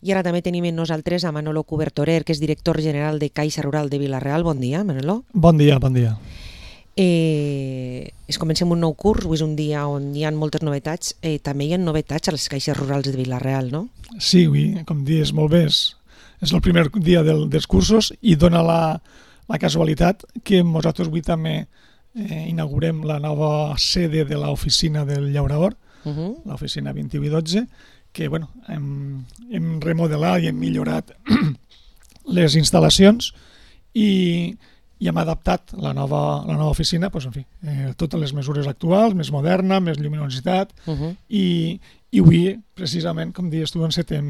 I ara també tenim amb nosaltres a Manolo Cubertorer, que és director general de Caixa Rural de Vila-real. Bon dia, Manolo. Bon dia, bon dia. Comencem un nou curs, avui és un dia on hi ha moltes novetats. També hi ha novetats a les caixes rurals de Vila-real, no? Sí, com dius molt bé, és el primer dia dels cursos i dona la casualitat que nosaltres avui també inaugurem la nova sede de l'oficina del Llaurador, l'oficina 2112, que hem remodelat i hem millorat les instal·lacions i hem adaptat la nova oficina totes les mesures actuals, més moderna, més lluminositat i avui, precisament, com dius tu, encetem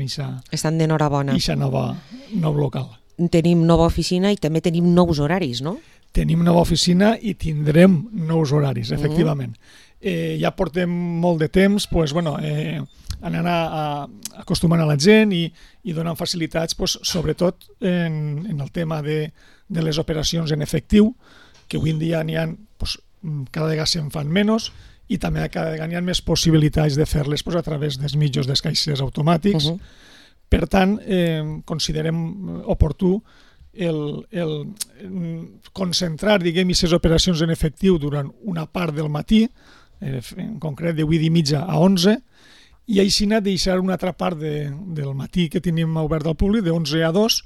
Estan d'enhorabona. Ixa nou local. Tenim nova oficina i també tenim nous horaris, no? Tenim nova oficina i tindrem nous horaris, efectivament. Ja portem molt de temps anant acostumant a la gent i donant facilitats, sobretot en el tema de les operacions en efectiu, que avui en dia n'hi ha, cada vegada se'n fan menys i també cada vegada hi ha més possibilitats de fer-les a través dels mitjans dels caixers automàtics. Per tant, considerem oportú el concentrar, aquestes operacions en efectiu durant una part del matí, en concret de 8:30 a 11, i així deixar una altra part del matí que tenim obert al públic, de 11 a 2,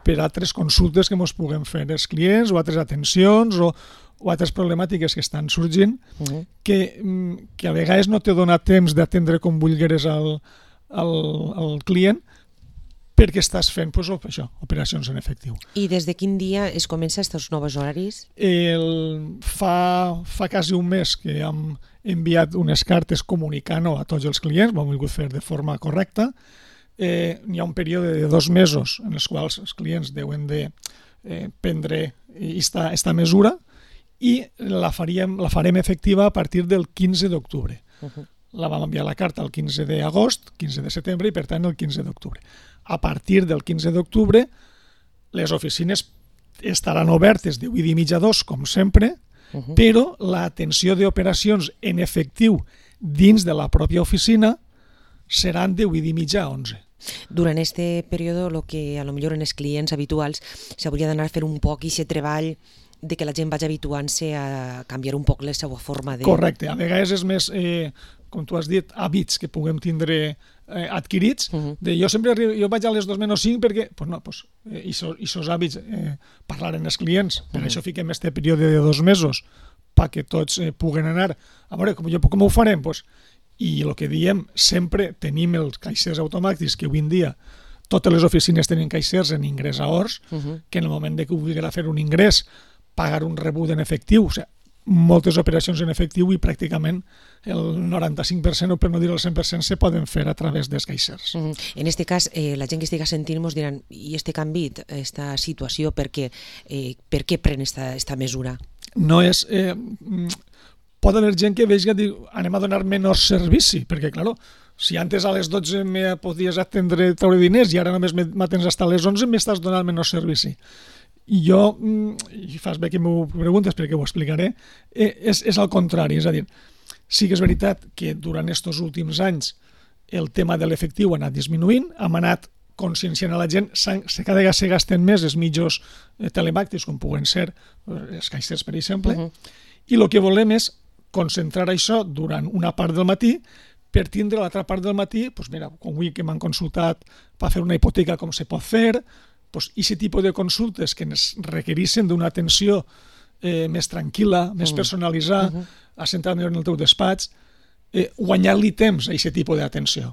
per altres consultes que ens puguem fer els clients o altres atencions o altres problemàtiques que estan sorgint que a vegades no te dona temps d'atendre com vulgueres al client perquè estàs fent operacions en efectiu. I des de quin dia es comença aquests nous horaris? Fa quasi un mes que hem enviat unes cartes comunicant-ho a tots els clients, ho hem volgut fer de forma correcta. Hi ha un període de 2 mesos en els quals els clients deuen de prendre aquesta mesura i la farem efectiva a partir del 15 d'octubre. La vam enviar la carta el 15 d'agost, 15 de setembre i per tant el 15 d'octubre. A partir del 15 d'octubre les oficines estaran obertes de 8:30 a 2, com sempre, però l'atenció d'operacions en efectiu dins de la pròpia oficina seran de 8:30 a 11. Durant aquest període, el que potser en els clients habituals s'hauria d'anar a fer un poc aquest treball de que la gent vagi habituant-se a canviar un poc la seva forma de... Correcte, a vegades és més, com tu has dit, hàbits que puguem tindre adquirits. Jo vaig a les 2:05 perquè, aquests hàbits parlaren els clients, per això fiquem aquest període de 2 mesos, perquè tots puguen anar. A veure, com ho farem? I el que diem, sempre tenim els caixers automàtics, que avui en dia totes les oficines tenen caixers en ingrés a hores, que en el moment que vulgui fer un ingrés, pagar un rebut en efectiu, moltes operacions en efectiu i pràcticament el 95%, o per no dir el 100%, se poden fer a través dels caixers. En aquest cas, la gent que estigui sentint ens diran, i aquest canvi, aquesta situació, per què pren aquesta mesura? No és... Pot haver gent que vegi que diu anem a donar menys servici, perquè, clar, si antes a les 12 me podies atendre treure diners i ara només m'atens fins a les 11, m'estàs donant menys servici. I jo, i fas bé que m'ho preguntes perquè ho explicaré, és al contrari, és a dir, sí que és veritat que durant aquests últims anys el tema de l'efectiu ha anat disminuint, hem anat conscienciant a la gent, cada vegada se gasten més els mitjans telemàtics, com puguen ser els caixers, per exemple, i el que volem és concentrar això durant una part del matí per tindre l'altra part del matí, com avui que m'han consultat per fer una hipoteca com se pot fer, aquest tipus de consultes que ens requereixen d'una atenció més tranquil·la, més personalitzada, assentar-me en el teu despatx, guanyar-li temps a aquest tipus d'atenció,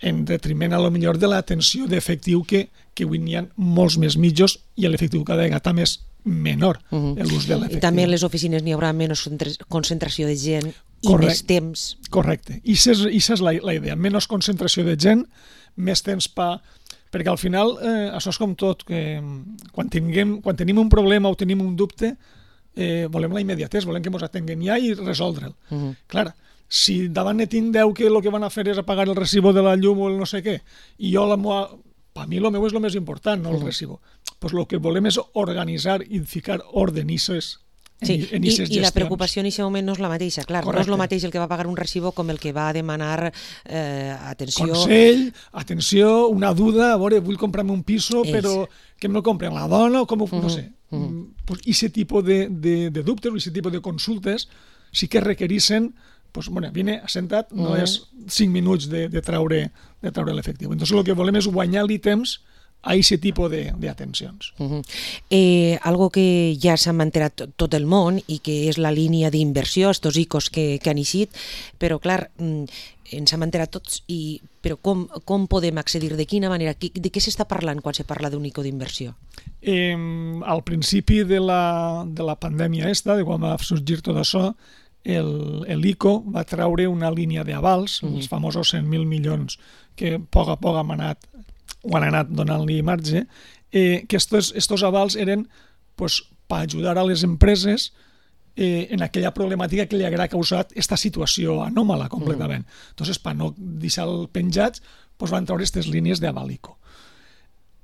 en detriment a lo millor de l'atenció d'efectiu que avui n'hi ha molts més mitjos i l'efectiu cada vegada també és menor l'ús de l'efectiu. I també a les oficines n'hi haurà menys concentració de gent i més temps. Correcte. I aquesta és la idea, menys concentració de gent, més temps perquè al final això és com tot, que quan tenim un problema o tenim un dubte volem la immediatesa, volem que ens atenguen ja i resoldre'l. Clar, si davant ne tinc 10 que el que van a fer és apagar el recibo de la llum o el no sé què, i jo per mi el meu és el més important, no el recibo. El que volem és organitzar i ficar ordre en Sí, en aquestes i la gestions. preocupació en aquest moment no és la mateixa, clar, no és el mateix el que va pagar un recibo com el que va demanar atenció. Consell, atenció, una duda, a veure, vull comprar-me un piso, però que me'l compren la dona o com ho... no sé. Pues aquest tipus de dubtes o aquest tipus de consultes sí que requereixen, pues, bueno, vine assentat, no és 5 minuts de treure l'efectiu. Entonces el que volem és guanyar-li temps a aquest tipus d'atencions. Algo que ja s'ha enterat tot el món i que és la línia d'inversió, estos ICOs que han eixit, però clar, ens hem enterat tots, però com podem accedir, de quina manera, de què s'està parlant quan se parla d'un ICO d'inversió? Al principi de la pandèmia de quan va sorgir tot això, l'ICO va treure una línia d'avals, els famosos 100.000 milions que a poc han anat donant-li marge, que estos avals eren per ajudar a les empreses en aquella problemàtica que li haguera causat aquesta situació anòmala completament. Entonces, per no deixar-lo penjats, van treure aquestes línies d'aval ICO.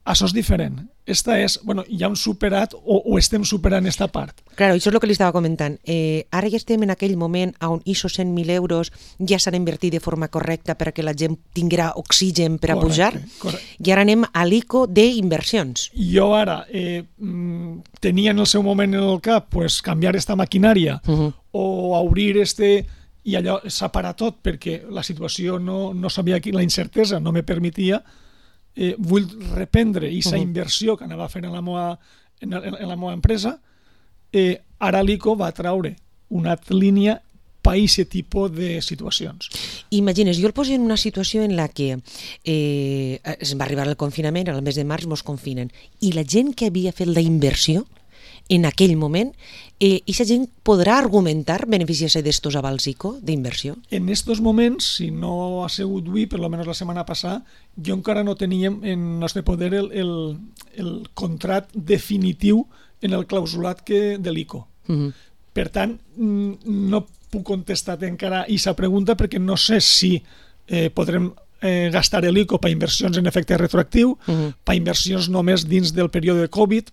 Això és diferent. Esta és, ja hem superat o estem superant aquesta part. Claro, això és el que li estava comentant. Ara ja estem en aquell moment on aquests 100.000 euros ja s'han invertit de forma correcta perquè la gent tinguera oxigen per a pujar, i ara anem a l'ICO d'inversions. Jo ara tenia en el seu moment en el cap canviar aquesta maquinària o obrir i allò s'ha parat tot perquè la situació no sabia, la incertesa no me permetia. Vull reprendre aquesta inversió que anava fent en la meva empresa. Ara l'ICO va treure una altra línia per aquest tipus de situacions. Imagines, jo el poso en una situació en la que es va arribar el confinament, al mes de març mos confinen, i la gent que havia fet la inversió en aquell moment, aquesta gent podrà argumentar beneficiar-se d'estos avals ICO d'inversió? En estos moments, si no ha sigut avui, per almenys la setmana passada, jo encara no teníem en el nostre poder el contracte definitiu en el clausulat de l'ICO. Per tant, no puc contestar encara aquesta pregunta perquè no sé si podrem gastar l'ICO per inversions en efecte retroactiu, per inversions només dins del període de Covid.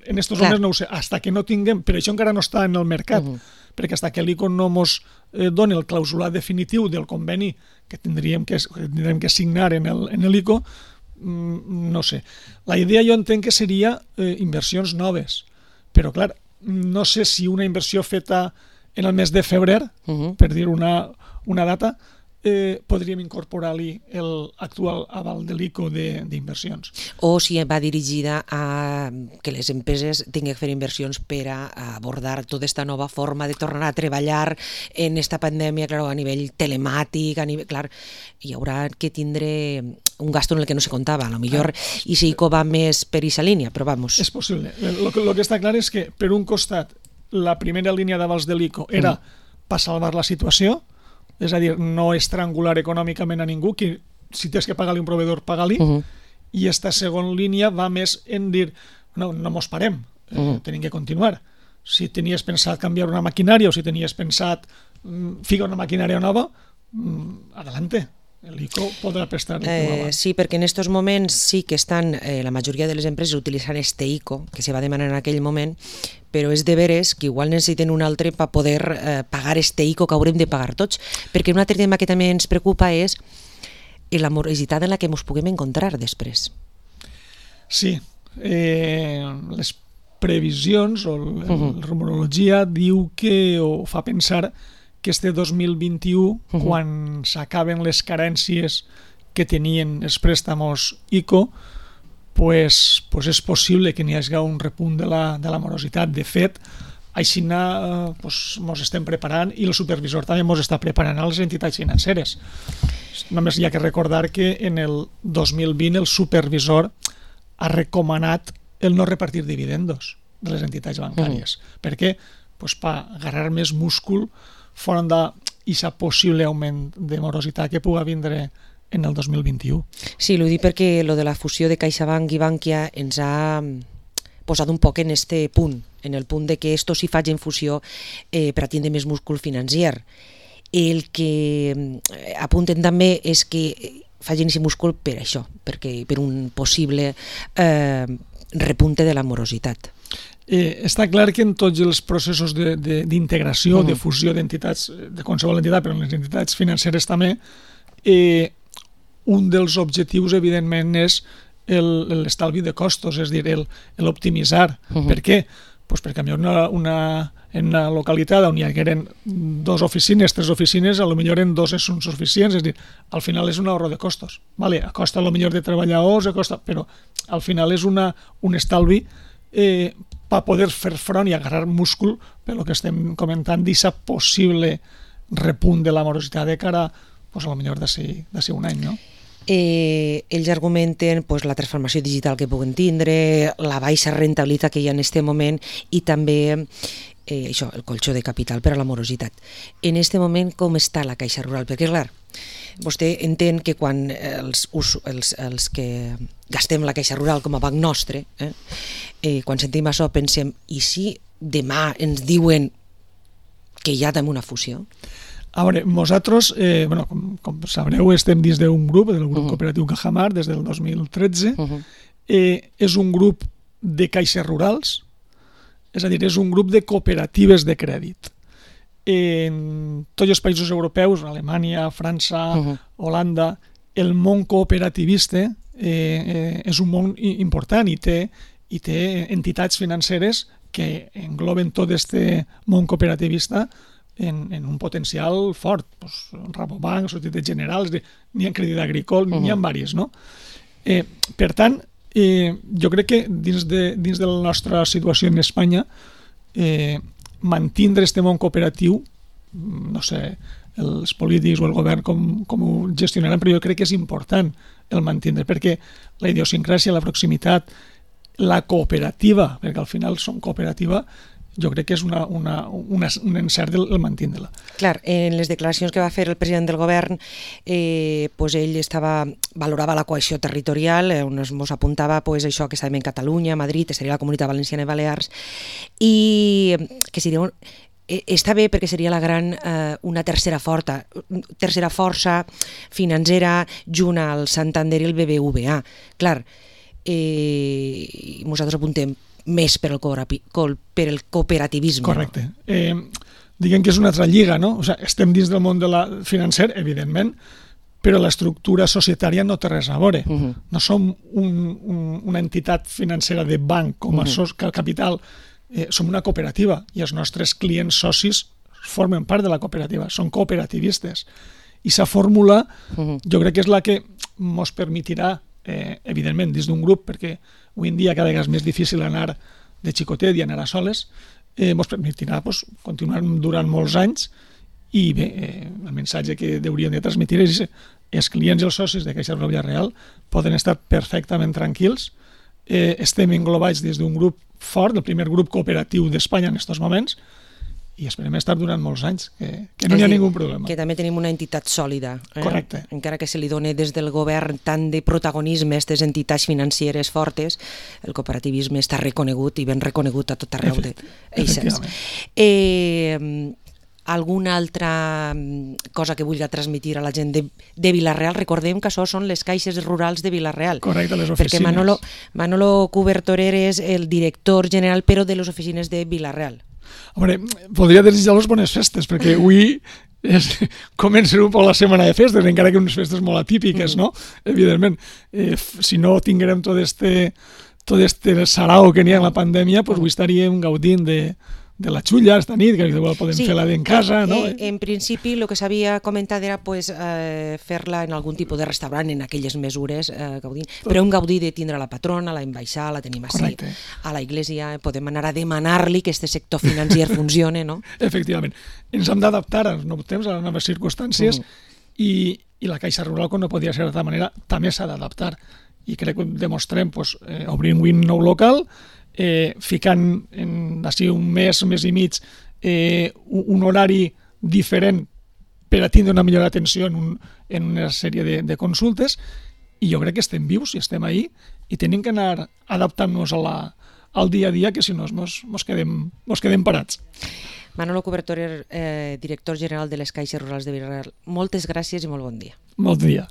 En estos moments no ho sé, hasta que no tinguem, però això encara no està en el mercat, perquè hasta que l'ICO no ens doni el clausulat definitiu del conveni que tindrem que signar en l'ICO, no sé. La idea jo entenc que seria inversions noves, però clar, no sé si una inversió feta en el mes de febrer, per dir una data, podríem incorporar-li l'actual aval de l'ICO d'inversions. O si va dirigida a que les empreses tinguin que fer inversions per a abordar tota aquesta nova forma de tornar a treballar en aquesta pandèmia, a nivell telemàtic, hi haurà que tindre un gasto en el que no se comptava. A lo millor ICO va més per aquesta línia, però vamos. És possible. El que està clar és que, per un costat, la primera línia d'avals de l'ICO era per salvar la situació, és a dir, no estrangular econòmicament a ningú, que si tens que pagar-li un proveïdor, paga-li, i aquesta segona línia va més en dir, no mos parem, tenim que continuar. Si tenies pensat canviar una maquinària o si tenies pensat ficar una maquinària nova, adelante. L'ICO podrà prestar sí, perquè en aquests moments sí que estan la majoria de les empreses utilitzant este ICO que se va demanar en aquell moment, però és de veres que igual necessiten un altre per poder pagar este ICO que haurem de pagar tots, perquè un altre tema que també ens preocupa és la morositat en la que ens puguem encontrar després. Sí, les previsions o la rumorologia diu que o fa pensar que este 2021, quan s'acaben les carències que tenien els préstamos ICO, pues és possible que n'hi hagi un repunt de la morositat. De fet, així ens estem preparant i el supervisor també ens està preparant a les entitats financeres. Només hi ha que recordar que en el 2020 el supervisor ha recomanat el no repartir dividendos de les entitats bancàries. Per què? Per agarrar més múscul fora d'aquest possible augment de morositat que pugui vindre en el 2021. Sí, l'ho dic perquè lo de la fusió de CaixaBank i Bankia ens ha posat un poc en este punt, en el punt de que esto si faig en fusió per a tindre més múscul financer. El que apunten també és que facin aquest múscul per això, per un possible repunte de la morositat. Està clar que en tots els processos d'integració, de fusió d'entitats, de qualsevol entitat, però en les entitats financeres també, un dels objectius, evidentment, és l'estalvi de costos, és a dir, l'optimitzar. Per què? Pues perquè en una localitat on hi hagueren 2 oficines, 3 oficines, potser en 2 són suficients, és a dir, al final és un ahorro de costos. Vale, a costa potser de treballadors, però al final és un estalvi per poder fer front i agarrar múscul per el que estem comentant d'aquest possible repunt de la morositat de cara pues, a lo millor d'ací un any, no? Ells argumenten pues, la transformació digital que puguen tindre, la baixa rentabilitat que hi ha en aquest moment i també això, el colxó de capital per a la morositat. En aquest moment, com està la Caixa Rural? Perquè, clar, vostè entén que quan els que gastem la Caixa Rural com a banc nostre, quan sentim això pensem, i si demà ens diuen que hi ha també una fusió? A veure, nosaltres, com sabreu, estem dins d'un grup, del grup cooperatiu Cajamar, des del 2013. És un grup de caixes rurals, és a dir, és un grup de cooperatives de crèdit. En tots els països europeus, Alemanya, França, Holanda, el món cooperativista és un món important i té entitats financeres que engloben tot aquest món cooperativista en un potencial fort. Rabobank, Societat General, n'hi ha Crèdit Agricole, n'hi ha diverses, no? Per tant, jo crec que dins de la nostra situació en Espanya mantindre aquest món cooperatiu, no sé, els polítics o el govern com ho gestionaran, però jo crec que és important el mantindre, perquè la idiosincràsia, la proximitat, la cooperativa, perquè al final som cooperativa, jo crec que és un encert el mantindre-la. Clar, en les declaracions que va fer el president del govern, pues ell valorava la cohesió territorial, on ens apuntava pues, això que estàvem en Catalunya, Madrid, seria la Comunitat Valenciana i Balears, i que seria està bé perquè seria una tercera força financera junt al Santander i el BBVA. Clar, nosaltres apuntem més per el cooperativisme. Correcte. Diguem que és una altra lliga, no? O sigui, estem dins del món financer, evidentment, però l'estructura societària no té res a veure. No som una entitat financera de banc com a capital, som una cooperativa i els nostres clients socis formen part de la cooperativa, són cooperativistes. I aquesta fórmula jo crec que és la que ens permetirà, evidentment, dins d'un grup, perquè avui en dia cada vegada és més difícil anar de xicotet i anar a soles, ens permetirà continuar durant molts anys i bé, el missatge que hauríem de transmetre és que els clients i els socis de Caixa Rural Villarreal poden estar perfectament tranquils. Estem englobats des d'un grup fort, el primer grup cooperatiu d'Espanya en aquests moments, i esperem estar durant molts anys, que no hi ha ningú problema. Que també tenim una entitat sòlida. Correcte. Encara que se li doni des del govern tant de protagonisme a aquestes entitats financeres fortes, el cooperativisme està reconegut i ben reconegut a tot arreu d'eixes. Alguna altra cosa que vulgui transmetre a la gent de Vila-real? Recordem que això són les caixes rurals de Vila-real. Correcte, les oficines. Perquè Manolo Cubertorer és el director general, però de les oficines de Vila-real. A veure, podria desitjar-los bones festes, perquè avui comença un poc la setmana de festes, encara que unes festes molt atípiques, no? Evidentment, si no tinguérem tot este sarau que n'hi ha en la pandèmia, doncs avui estaríem gaudint de la xulla esta nit, que igual podem fer-la en casa, no? En principi, el que s'havia comentat era fer-la en algun tipus de restaurant, en aquelles mesures, gaudint, però un gaudir de tindre la patrona, la embaixada, la tenim així, a la iglesia, podem anar a demanar-li que aquest sector financer funcione, no? Efectivament. Ens hem d'adaptar als nous temps, a les noves circumstàncies, i la Caixa Rural, com no podia ser d'altra manera, també s'ha d'adaptar. I crec que ho demostrem obrint un nou local, ficant d'ací un mes i mig un horari diferent per a tindre una millor atenció en una sèrie de consultes, i jo crec que estem vius i estem ahí i tenim que anar adaptant-nos al dia a dia, que si no mos quedem parats. Manolo Cubertorer, director general de les Caixes Rurals de Vila-real, moltes gràcies i molt bon dia. Bon dia.